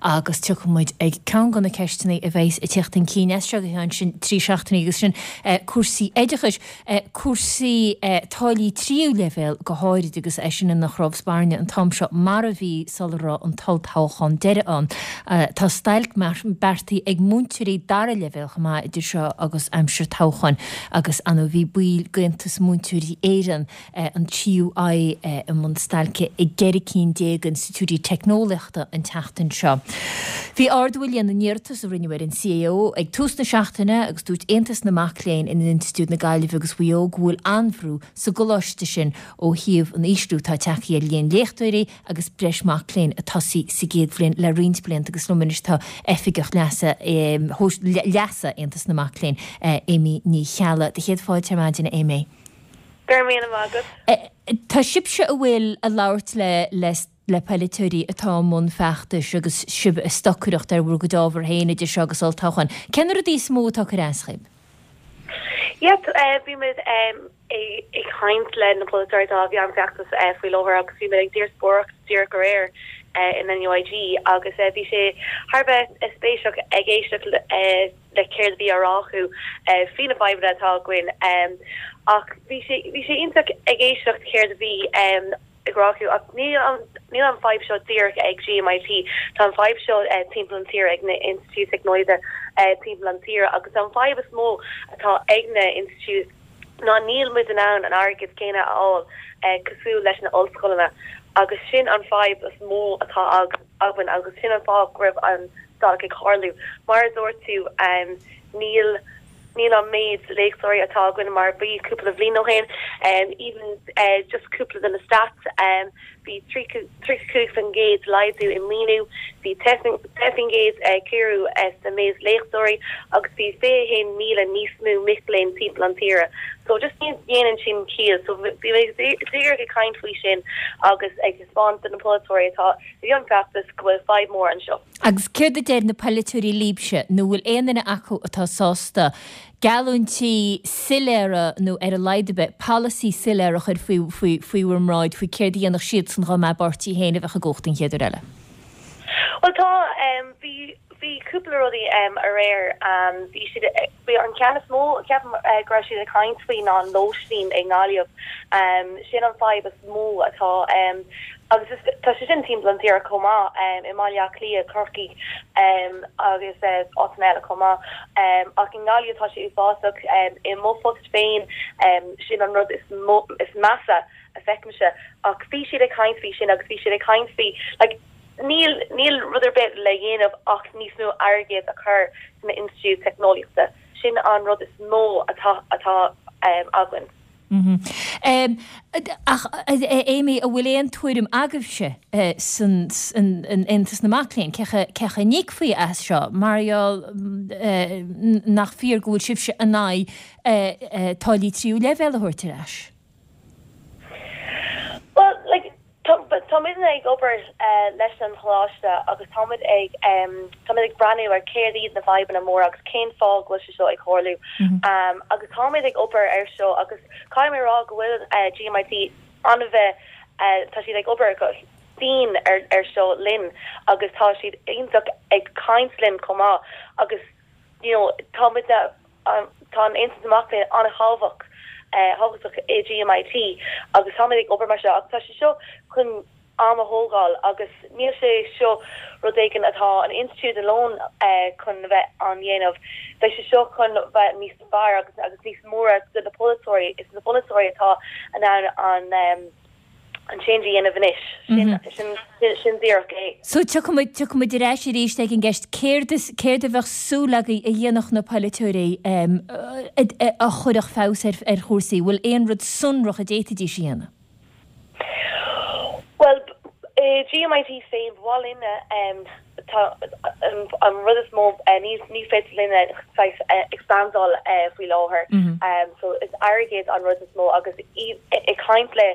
Agus tiocfaidh muid ag ceann de na ceisteanna a bheas ag teacht chun cinn as seo go ceann sin 3 seachtainí agus sin cúrsaí oideachais, cúrsaí táillí tríú leibhéal go háirid agus é sin ina chrobh spairne an t-am seo mar a bhí sula raibh an t-olltoghchán deiridh ann. Tá stailc beartaithe ag múinteoirí dara leibhéal chomh maith idir seo agus aimsir toghcháin agus ar ndóigh bhí baill d'Aontas Múinteoirí Éireann, an TUI, i mbun stailce i gceithre cinn d'institiúidí teicneolaíochta an tseachtain seo. Bhí ardú i líon na n-iarratas a rinneadh ar an CAO ag tús na seachtaine agus dúirt Aontas na Mac Léinn in Institiúid na Gaillimhe agus Mhaigh Eo go bhfuil an-bhrú sa gcoláiste sin ó thaobh an ísliú atá tagtha ar líon léachtóirí agus breis mac léinn ag tosaí sa gcéad bhliain le roinnt blianta agus liom anois tá Oifigeach Leasa Leasa Aontas na Mac Léinn, Amy Ní Cheallaigh. Do chéad fáilte ar maidin, a Amy. Go raibh míle maith agat. Tá sibhse a bhfuil ag labhairt le le le polaiteoirí atá i mbun feachtais agus sibh ag stocaireacht ar bhur gcuid ábhar féin idir seo agus olltoghchán. Cé na rudaí is mó atá ag cur as dhaoibh? Yeah, bhí muid ag caint le na polaiteoirí atá i mbun feachtais faoi láthair agus bhí muid ag díospóireacht díreach aréir in NUIG agus bhí sé thar a bheith spéisiúil ag éisteacht le céard a bhí á rá acu faoi na fadhbanna atá againn ach bhí sé bhí sé iontach ag éisteacht céard a bhí ag rá acu ach níl an níl an fadhb seo díreach ag GMIT tá an fadhb seo timpeall an tíre ag na institiúidí teicneolaíochta timpeall an tíre agus an fadhb is mó atá ag na institiúidí ná níl muid in ann an airgead céanna a fháil cosúil leis na ollscoileanna agus sin an fadhb is mó atá againn agus sin an fáth go raibh an stailc ag tarlú. Mar a dúirt tú, níl níl an méid léachtóirí atá againn mar a bhí cúpla bhliain ó shin. Even just cúpla de na stats, bhí 35% laghdú i maoiniú, bhí 10% ciorrú sa méid léachtóirí agus bhí 21,000 níos mó mic léinn timpeall an tíre. So just ní dhéanann sin ciall. So bhí mé díreach ag caint faoi sin agus ag taispeáint do na polaiteoirí atá i mbun feachtais go bhfuil fadhb mór anseo. Agus céard a deir na polaiteoirí libhse, nó bhfuil aon duine acu atá sásta geallúintí soiléara nó ar a laghad ar bith polasaí soiléir a chur faoi faoi faoi bhur mbráid faoi céard a dhéanfadh siadsan dá mba a bpáirtí féin a bheadh i gcumhacht an chéad uair eile? Bhuel tá, bhí bhí cúpla rudaí aréir, bhí siad, bhí an ceann is mó ceapaim go raibh siad ag caint faoi ná an lóistín i nGaillimh, sin an fadhb is mó atá agus is tá sé sin timpeall an tíre chomh maith, i mBaile Átha Cliath, Corcaigh agus áiteanna eile chomh maith. Ach i nGaillimh tá sé uafásach. I mo phost féin sin an rud is mó is measa a feicimse. Ach bhí siad ag caint faoi sin agus bhí siad ag caint faoi like níl níl rud ar bith le dhéanamh ach níos mó airgead a chur sna institiúid teicneolaíochta. Sin an rud is mó atá atá againn. Ach, a Amy, an bhfuil aon tuairim agaibhse san Aontas na Mac Léinn, cé chaoi a n-íocfaí as seo, mar gheall nach fíor go bhfuil sibhse in aghaidh táillí tríú leibhéal a thabhairt ar ais? Bhuel, like, Tá muidne ag obair leis an choláiste agus táimid ag táimid ag breathnú ar céard iad na fadhbanna móra agus cén fáth go bhfuil sé seo ag tarlú. Agus táimid ag obair ar seo agus caithfidh mé a rá go bhfuil GMIT an-bheith tá siad ag obair go dian ar ar seo linn agus tá siad iontach ag caint linn chomh maith agus you know táimid Tá an Aontas na Mac Léinn an-thábhachtach thábhachtach i GMIT agus táimid ag obair mar seo ach tá sé seo chun am a thógáil agus níl sé seo rud éigin atá an institiúid alone chun a bheith an dhéanamh. Beidh sé seo chun bheith níos fearr agus agus níos móra do na polaiteoirí. Is na polaiteoirí atá in ann an an change a dhéanamh anois. Sin, sin, sin díreach é. So tiocfaidh muid, tiocfaidh muid ar ais arís ag an gceist, céard is, céard a bheadh súil agaibh a dhéanfadh na polaiteoirí a chuirfeadh feabhas ar, ar chúrsaí? Bhfuil aon rud sonrach a d'fhéadfaidís a dhéanamh? Bhuel, i GMIT féin, ba mhaith linne, tá an rud is mó, ní, ní féidir linne saghas expandáil faoi láthair. So is airgead an rud is mó agus ag caint le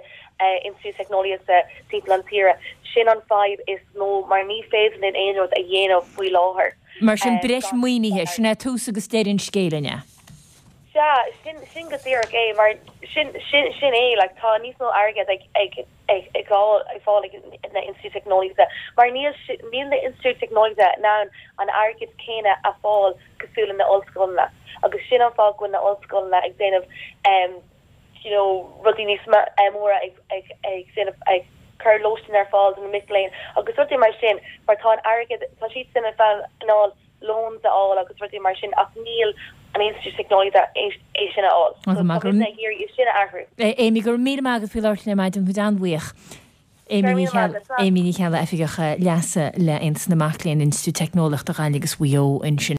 institiúid teicneolaíochta timpeall an tíre, sin an fadhb is mó mar ní féidir linn aon rud a dhéanamh faoi láthair. Mar sin breis maoinithe, sin é tús agus deireadh an scéil, an ea? Sea, sin, sin go díreach é, mar sin, sin, sin é, like, tá níos mó airgead ag, ag, ag, ag fáil, ag fáil ag na institiúidí teicneolaíochta, mar níl, níl na institiúidí teicneolaíochta in ann an airgead céanna a fáil cosúil le na ollscoileanna, agus sin an fáth go bhfuil na ollscoileanna ag déanamh, em, you know, rudaí níos móra ag, ag, ag déanamh, ag cur lóistín ar fáil do na mic léinn agus rudaí mar sin, mar tá an airgead, tá siadsan in ann loans a fháil agus rudaí mar sin ach níl an institiúid teicneolaíochta é sin a fháil. So tá muidne ag iarraidh é sin a athrú. Amy, go raibh míle maith agat faoi labhairt linn ar maidin, tá muid an-bhuíoch. Amy Ní Cheallaigh, Amy Ní Cheallaigh, Oifigeach Leasa le Aontas na Mac Léinn, Institiúid Teicneolaíochta Ghaillimh agus Mhaigh Eo ansin.